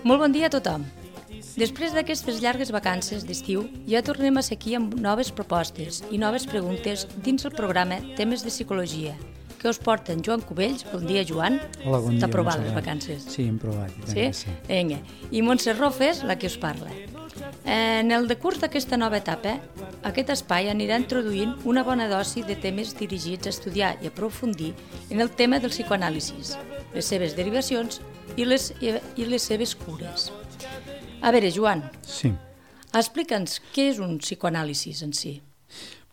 Molt bon dia a tothom. Després d'aquestes llargues vacances d'estiu, ja tornem a ser aquí amb noves propostes i noves preguntes dins el programa Temes de Psicologia, que us porten Joan Cubells. Bon dia, Joan. Hola, bon dia. T'ha provat les vacances? Sí, hem provat. Sí? Vinga. I Montse Rofes, la que us parla. En el decurs d'aquesta nova etapa, aquest espai anirà introduint una bona dosi de temes dirigits a estudiar i aprofundir en el tema del psicoanàlisis, les seves derivacions i les seves cures. A veure, Joan, sí. Explica'ns què és un psicoanàlisis en si.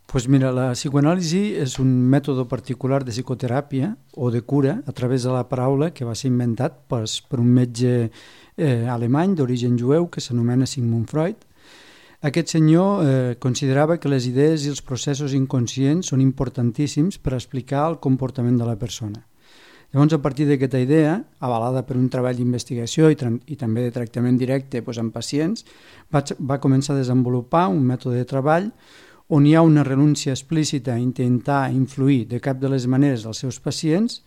Pues mira, la psicoanàlisi és un mètode particular de psicoteràpia o de cura a través de la paraula que va ser inventat per un metge alemany d'origen jueu que s'anomena Sigmund Freud. Aquest senyor considerava que les idees i els processos inconscients són importantíssims per explicar el comportament de la persona. Llavors, a partir d'aquesta idea, avalada per un treball d'investigació i també de tractament directe amb pacients, va començar a desenvolupar un mètode de treball on hi ha una renúncia explícita a intentar influir de cap de les maneres als seus pacients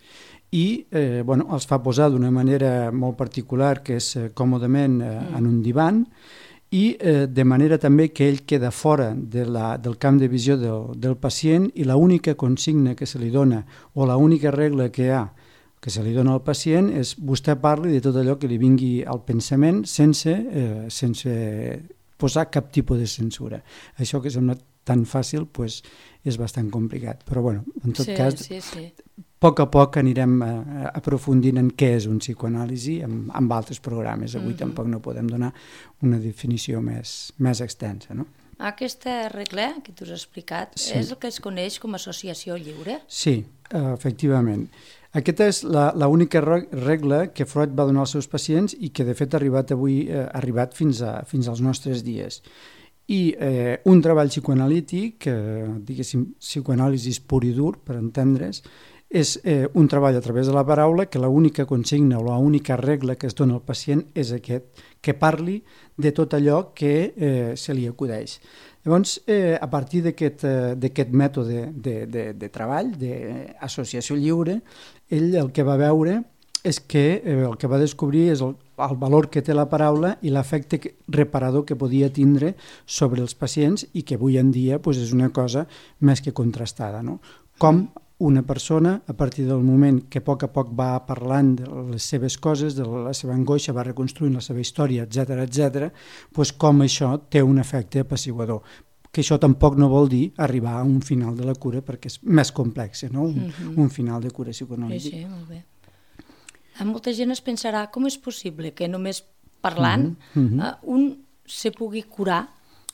i els fa posar d'una manera molt particular, que és còmodament en un divan, i de manera també que ell queda fora del camp de visió del pacient i l'única consigna que se li dona o l'única regla que hi ha que se li dona al pacient és vostè parli de tot allò que li vingui al pensament sense posar cap tipus de censura. Això que sembla tan fàcil és bastant complicat, però en tot cas a poc anirem aprofundint en què és un psicoanàlisi amb altres programes. Avui tampoc no podem donar una definició més extensa, no? Aquesta regla que tu has explicat és el que es coneix com a associació lliure? Sí, efectivament. Aquesta és l'única regla que Freud va donar als seus pacients i que de fet ha arribat fins als nostres dies. I un treball psicoanalític, diguéssim psicoanàlisis pur i dur, per entendre's, és un treball a través de la paraula que l'única consigna o l'única regla que es dona al pacient és aquest, que parli de tot allò que se li acudeix. Llavors, a partir d'aquest mètode de treball, d'associació lliure, ell el que va veure és que el que va descobrir és el valor que té la paraula i l'efecte reparador que podia tindre sobre els pacients i que avui en dia és una cosa més que contrastada, no? Com una persona, a partir del moment que a poc va parlant de les seves coses, de la seva angoixa, va reconstruint la seva història, etc., com això té un efecte apaciguador. Que això tampoc no vol dir arribar a un final de la cura, perquè és més complex, no? Un final de cura psicoanalítica. Sí, molt bé. Molta gent es pensarà com és possible que només parlant un se pugui curar.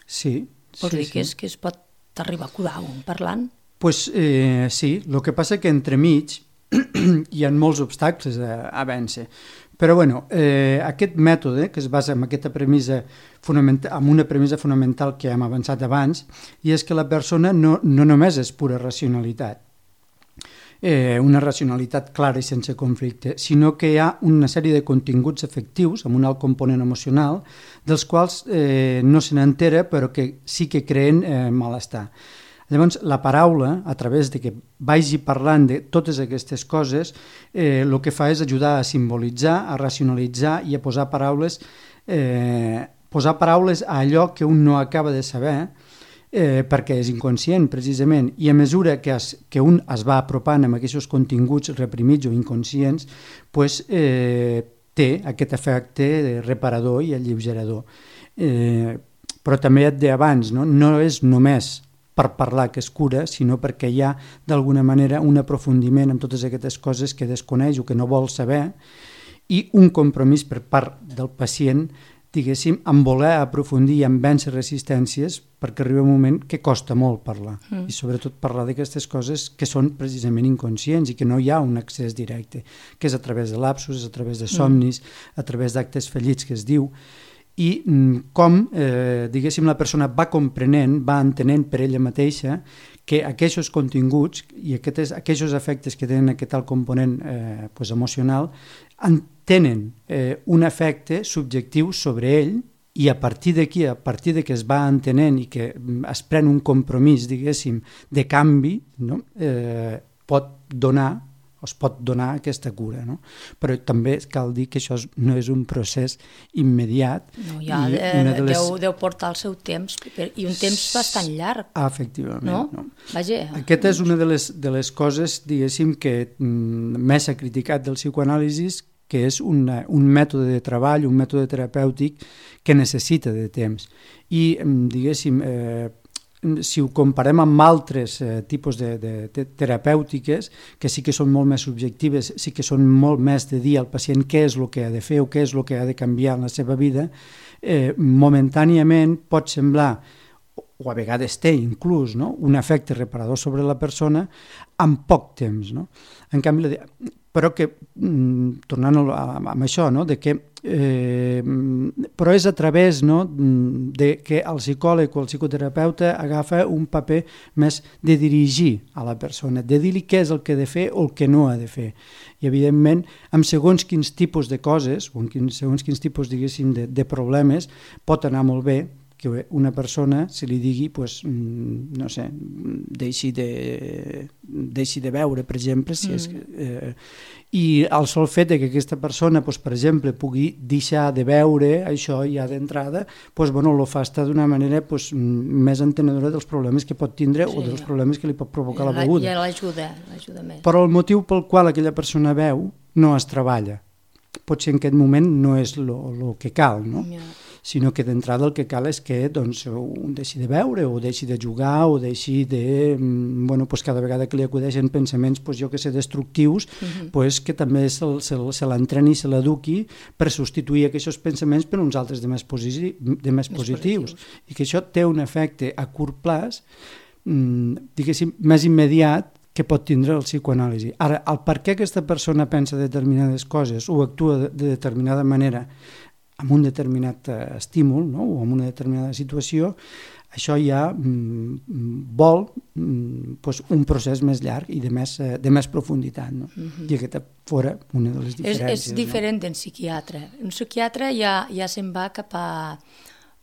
Sí. Vols dir que es pot arribar a curar un parlant? Sí, el que passa que entremig hi ha molts obstacles a vèncer. Però aquest mètode, que es basa en aquesta premissa en una premissa fonamental que hem avançat abans, i és que la persona no només és pura racionalitat, una racionalitat clara i sense conflicte, sinó que hi ha una sèrie de continguts afectius amb un alt component emocional, dels quals no se n'entera però que sí que creen malestar. Llavors, la paraula, a través de que vagi parlant de totes aquestes coses, el que fa és ajudar a simbolitzar, a racionalitzar i a posar paraules a allò que un no acaba de saber, perquè és inconscient, precisament, i a mesura que un es va apropant amb aquests continguts reprimits o inconscients, té aquest efecte reparador i alleugerador. Però també et deia abans, no és només per parlar que es cura, sinó perquè hi ha d'alguna manera un aprofundiment en totes aquestes coses que desconeix o que no vol saber i un compromís per part del pacient, diguéssim, en voler aprofundir i en vèncer resistències perquè arriba un moment que costa molt parlar i sobretot parlar d'aquestes coses que són precisament inconscients i que no hi ha un accés directe, que és a través de lapsus, a través de somnis, a través d'actes fallits que es diu, i com, diguéssim, la persona va comprenent, va entenent per ella mateixa que aquests continguts i aquests efectes que tenen aquest alt component emocional tenen un efecte subjectiu sobre ell i a partir d'aquí, a partir que es va entenent i que es pren un compromís, diguéssim, de canvi, pot donar es pot donar aquesta cura, no? Però també cal dir que això no és un procés immediat. No, ja deu portar el seu temps, i un temps bastant llarg. Efectivament. No? Vaja. Aquesta és una de les coses, diguéssim, que més s'ha criticat del psicoanàlisi, que és un mètode de treball, un mètode terapèutic que necessita de temps. I, diguéssim, si ho comparem amb altres tipus de terapèutiques, que sí que són molt més subjectives, sí que són molt més de dir al pacient què és el que ha de fer o què és el que ha de canviar en la seva vida, momentàniament pot semblar, o a vegades té inclús, no? Un efecte reparador sobre la persona en poc temps. No? En canvi, però que, tornant a això, no? De que, però és a través, no? De que el psicòleg o el psicoterapeuta agafa un paper més de dirigir a la persona, de dir-li què és el que ha de fer o el que no ha de fer. I, evidentment, amb segons quins tipus de coses, o segons quins tipus, diguéssim, de problemes, pot anar molt bé que una persona se li digui, pues, no sé, deixi de veure, per exemple, si és i el sol fet que aquesta persona, pues, per exemple, pugui deixar de veure això ja d'entrada, pues, bueno, lo fa estar d'una manera, pues, més entenedora dels problemes que pot tindre o dels problemes que li pot provocar la beguda. I l'ajuda més. Però el motiu pel qual aquella persona veu no es treballa. Potser en aquest moment no és el que cal, no? Sinó que d'entrada el que cal és que, doncs, un deixi de veure o deixi de jugar o deixi de... Bueno, pues cada vegada que li acudeixen pensaments, pues, jo que sé, destructius, pues, que també se l'entreni i se l'eduqui per substituir aquests pensaments per uns altres de més positius. I que això té un efecte a curt plaç, diguéssim, més immediat, que pot tindre el psicoanàlisi. Ara, el per què aquesta persona pensa determinades coses o actua de determinada manera amb un determinat estímul, no? O amb una determinada situació, això ja vol pues, un procés més llarg i de més profunditat. No? I aquesta fora una de les diferències. És diferent d'en psiquiatre. Un psiquiatre ja se'n va cap a...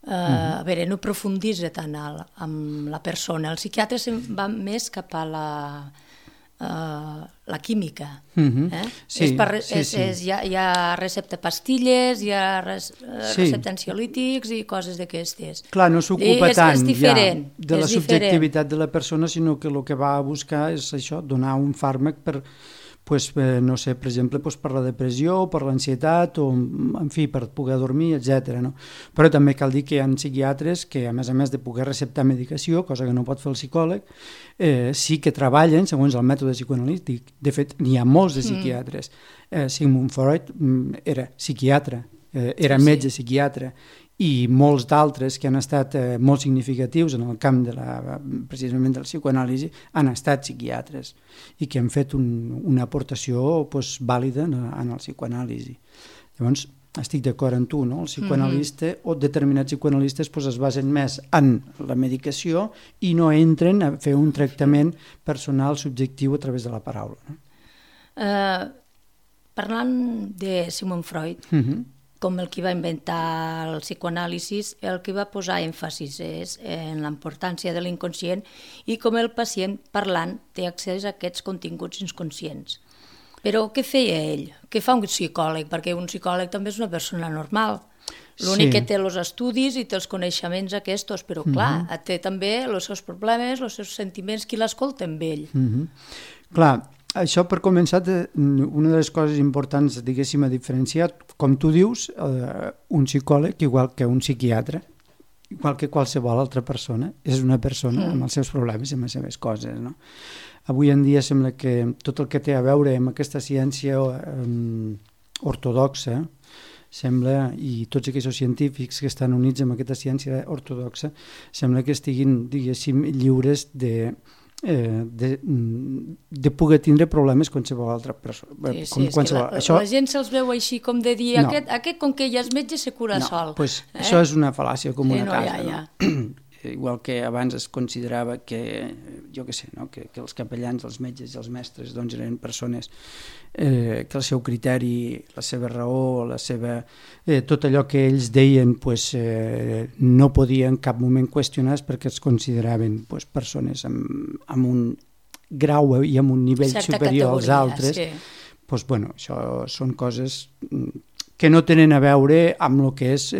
A veure, no profunditza tant amb la persona. El psiquiatre se'n va més cap a la química. Sí, hi ha recepta pastilles, hi ha recepta ansiolítics i coses d'aquestes. Clar, no s'ocupa tant ja de la subjectivitat de la persona, sinó que el que va a buscar és això, donar un fàrmac per, pues, no sé, per exemple, pues, per la depressió, per l'ansietat, o, en fi, per poder dormir, etc. No? Però també cal dir que hi ha psiquiatres que, a més de poder receptar medicació, cosa que no pot fer el psicòleg, sí que treballen segons el mètode psicoanalític. De fet, n'hi ha molts de psiquiatres. Sigmund Freud era psiquiatre, era metge psiquiatre, i molts d'altres que han estat molt significatius en el camp precisament del psicoanàlisi han estat psiquiatres i que han fet una aportació pues, vàlida en el psicoanàlisi. Llavors, estic d'acord amb tu, no? El psicoanalista o determinats psicoanalistes pues, es basen més en la medicació i no entren a fer un tractament personal subjectiu a través de la paraula. No? Parlant de Sigmund Freud, com el que va inventar el psicoanàlisi, el que va posar èmfasis és en la importància de l'inconscient i com el pacient parlant té accés a aquests continguts inconscients. Però què feia ell? Què fa un psicòleg? Perquè un psicòleg també és una persona normal. L'únic que té els estudis i té els coneixements aquests, però clar, té també els seus problemes, els seus sentiments, qui l'escolta amb ell. Clar, això per començar, una de les coses importants, diguéssim, a diferenciar, com tu dius, un psicòleg, igual que un psiquiatre, igual que qualsevol altra persona, és una persona amb els seus problemes i amb les seves coses, no? Avui en dia sembla que tot el que té a veure amb aquesta ciència ortodoxa, sembla, i tots aquests científics que estan units amb aquesta ciència ortodoxa, sembla que estiguin, diguéssim, lliures de poder tindre problemes qualsevol altra persona. La gent se'ls veu així com de dir, aquest com que ja és metge se cura sol. Això és una fal·làcia com una casa. Igual que abans es considerava que, jo què sé, que els capellans, els metges i els mestres eren persones que el seu criteri, la seva raó, tot allò que ells deien no podia en cap moment qüestionar perquè es consideraven persones amb un grau i amb un nivell certa superior als altres, sí. Doncs, bueno, això són coses que no tenen a veure amb el que és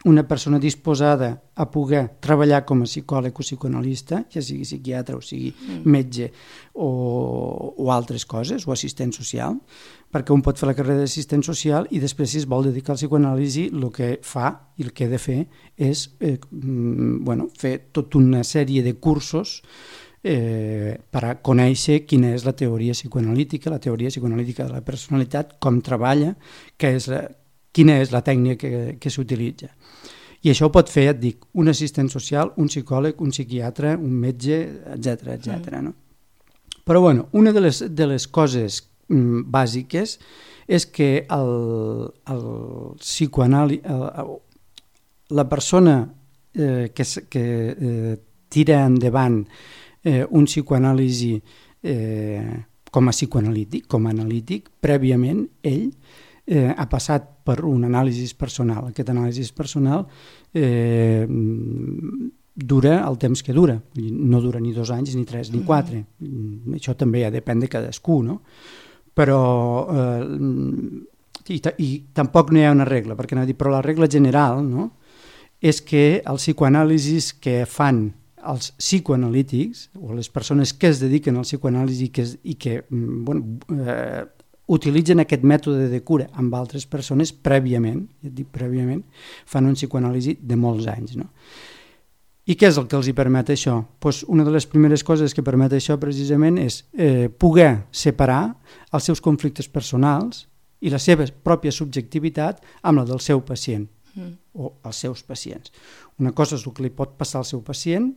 una persona disposada a poder treballar com a psicòleg o psicoanalista, ja sigui psiquiatre o sigui metge o altres coses, o assistent social, perquè un pot fer la carrera d'assistent social i després, si es vol dedicar al psicoanàlisi, el que fa i el que ha de fer és fer tota una sèrie de cursos per a conèixer quina és la teoria psicoanalítica de la personalitat, com treballa, quina és la tècnica que s'utilitza. I això ho pot fer, et dic, un assistent social, un psicòleg, un psiquiatre, un metge, etc. No? Però bueno, una de les coses bàsiques és que el la persona que tira endavant un psicoanàlisi com a psicoanalític, com a analític, prèviament ell ha passat per un anàlisi personal. Aquest anàlisi personal dura el temps que dura. No dura ni 2 anys, ni 3, ni 4. Això també ja depèn de cadascú, no? Però i tampoc no hi ha una regla, perquè no dic, però la regla general, no?, és que els psicoanàlisis que fan els psicoanalítics o les persones que es dediquen al psicoanàlisi i que utilitzen aquest mètode de cura amb altres persones prèviament, fan un psicoanàlisi de molts anys, no? I què és el que els hi permet això? Pues una de les primeres coses que permet això precisament és poder separar els seus conflictes personals i la seva pròpia subjectivitat amb la del seu pacient o els seus pacients. Una cosa és el que li pot passar al seu pacient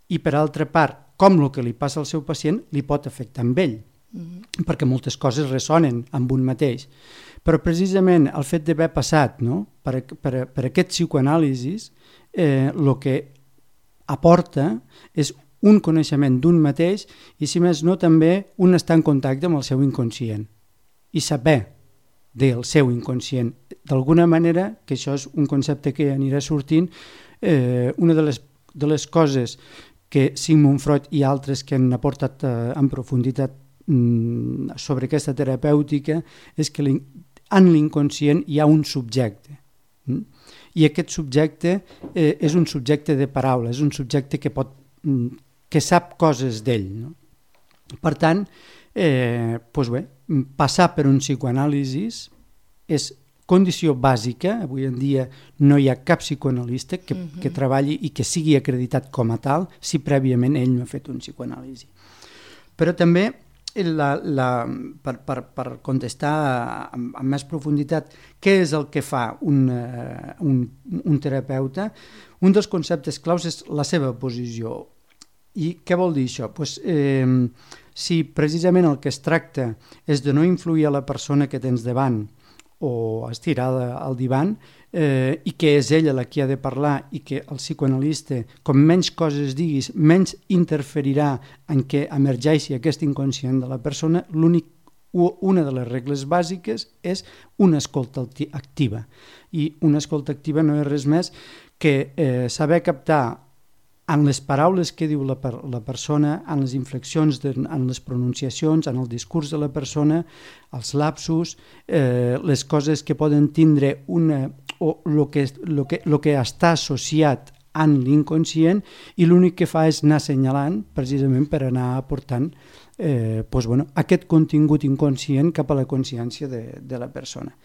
i, per altra part, com el que li passa al seu pacient li pot afectar amb ell, perquè moltes coses ressonen amb un mateix. Però precisament el fet d'haver passat, no, per aquest psicoanàlisis, el que aporta és un coneixement d'un mateix i, si més no, també un estar en contacte amb el seu inconscient i saber del seu inconscient. D'alguna manera, que això és un concepte que anirà sortint, una de les coses que Sigmund Freud i altres que han aportat en profunditat sobre aquesta terapèutica és que en l'inconscient hi ha un subjecte. I aquest subjecte és un subjecte de paraula, és un subjecte que sap coses d'ell, no? Per tant, passar per un psicoanàlisi és condició bàsica. Avui en dia no hi ha cap psicoanalista que treballi i que sigui acreditat com a tal si prèviament ell no ha fet un psicoanàlisi. Però també, per contestar amb més profunditat què és el que fa un terapeuta, un dels conceptes claus és la seva posició. I què vol dir això? Si precisament el que es tracta és de no influir a la persona que tens davant o estirada al divan i que és ella la que ha de parlar i que el psicoanalista, com menys coses diguis, menys interferirà en què emergeixi aquest inconscient de la persona, una de les regles bàsiques és una escolta activa. I una escolta activa no és res més que saber captar en les paraules que diu la persona, en les inflexions, en les pronunciacions, en el discurs de la persona, els lapsus, les coses que poden tindre o el que està associat en l'inconscient, i l'únic que fa és anar assenyalant precisament per anar aportant aquest contingut inconscient cap a la consciència de la persona.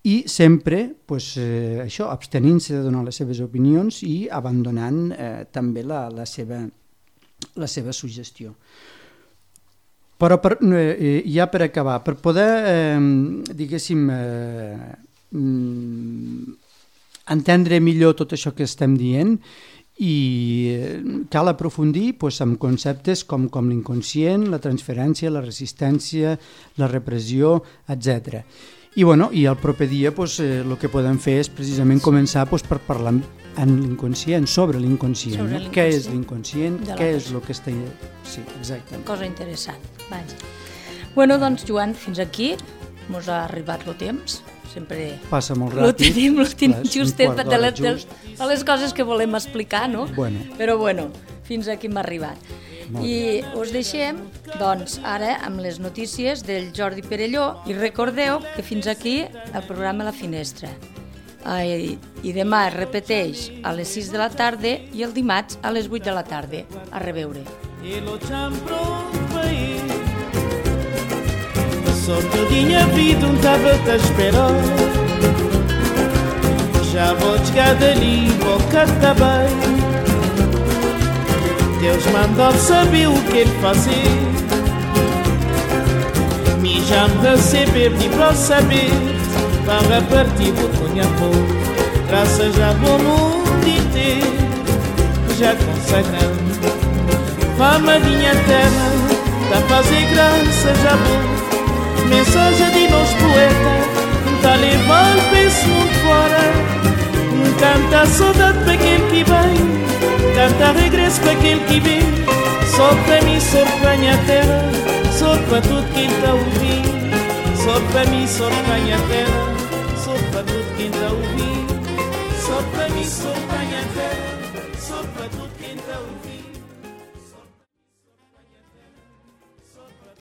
I sempre això, abstenint-se de donar les seves opinions i abandonant també la seva suggestió. Però ja per acabar, per poder, diguéssim, entendre millor tot això que estem dient, i cal aprofundir en conceptes com l'inconscient, la transferència, la resistència, la repressió, etc. I el proper dia el que podem fer és precisament començar per parlar en l'inconscient, sobre l'inconscient. Què és l'inconscient? Què és el que està... Sí, exactament. Cosa interessant. Vaja. Doncs, Joan, fins aquí mos ha arribat el temps. Sempre passa molt ràpid. Lo tenim justet de les coses que volem explicar, no? Però fins aquí hem arribat. I us deixem, doncs, ara amb les notícies del Jordi Perelló i recordeu que fins aquí el programa La Finestra. I demà es repeteix a les 6 de la tarda i el dimarts a les 8 de la tarda. A reveure. Só todinha vida estava-te a esperar. Já vou chegar dali, boca tá bem. Deus mandou saber o que ele fazer. Me já me receber, de para saber. Para partir do conhaco, graças a bom mundo inteiro, já consagrando. Fama minha terra, tá fazer graça já bom. Mensagem de nós poeta, tá levando para esse mundo fora. Canta saudade para aquele que vem, canta regresso para aquele que vem. Só para mim, só para minha terra, só para tudo quem tá ouvindo. Só para mim, só para minha terra, só para tudo quem tá ouvindo. Só para mim, só para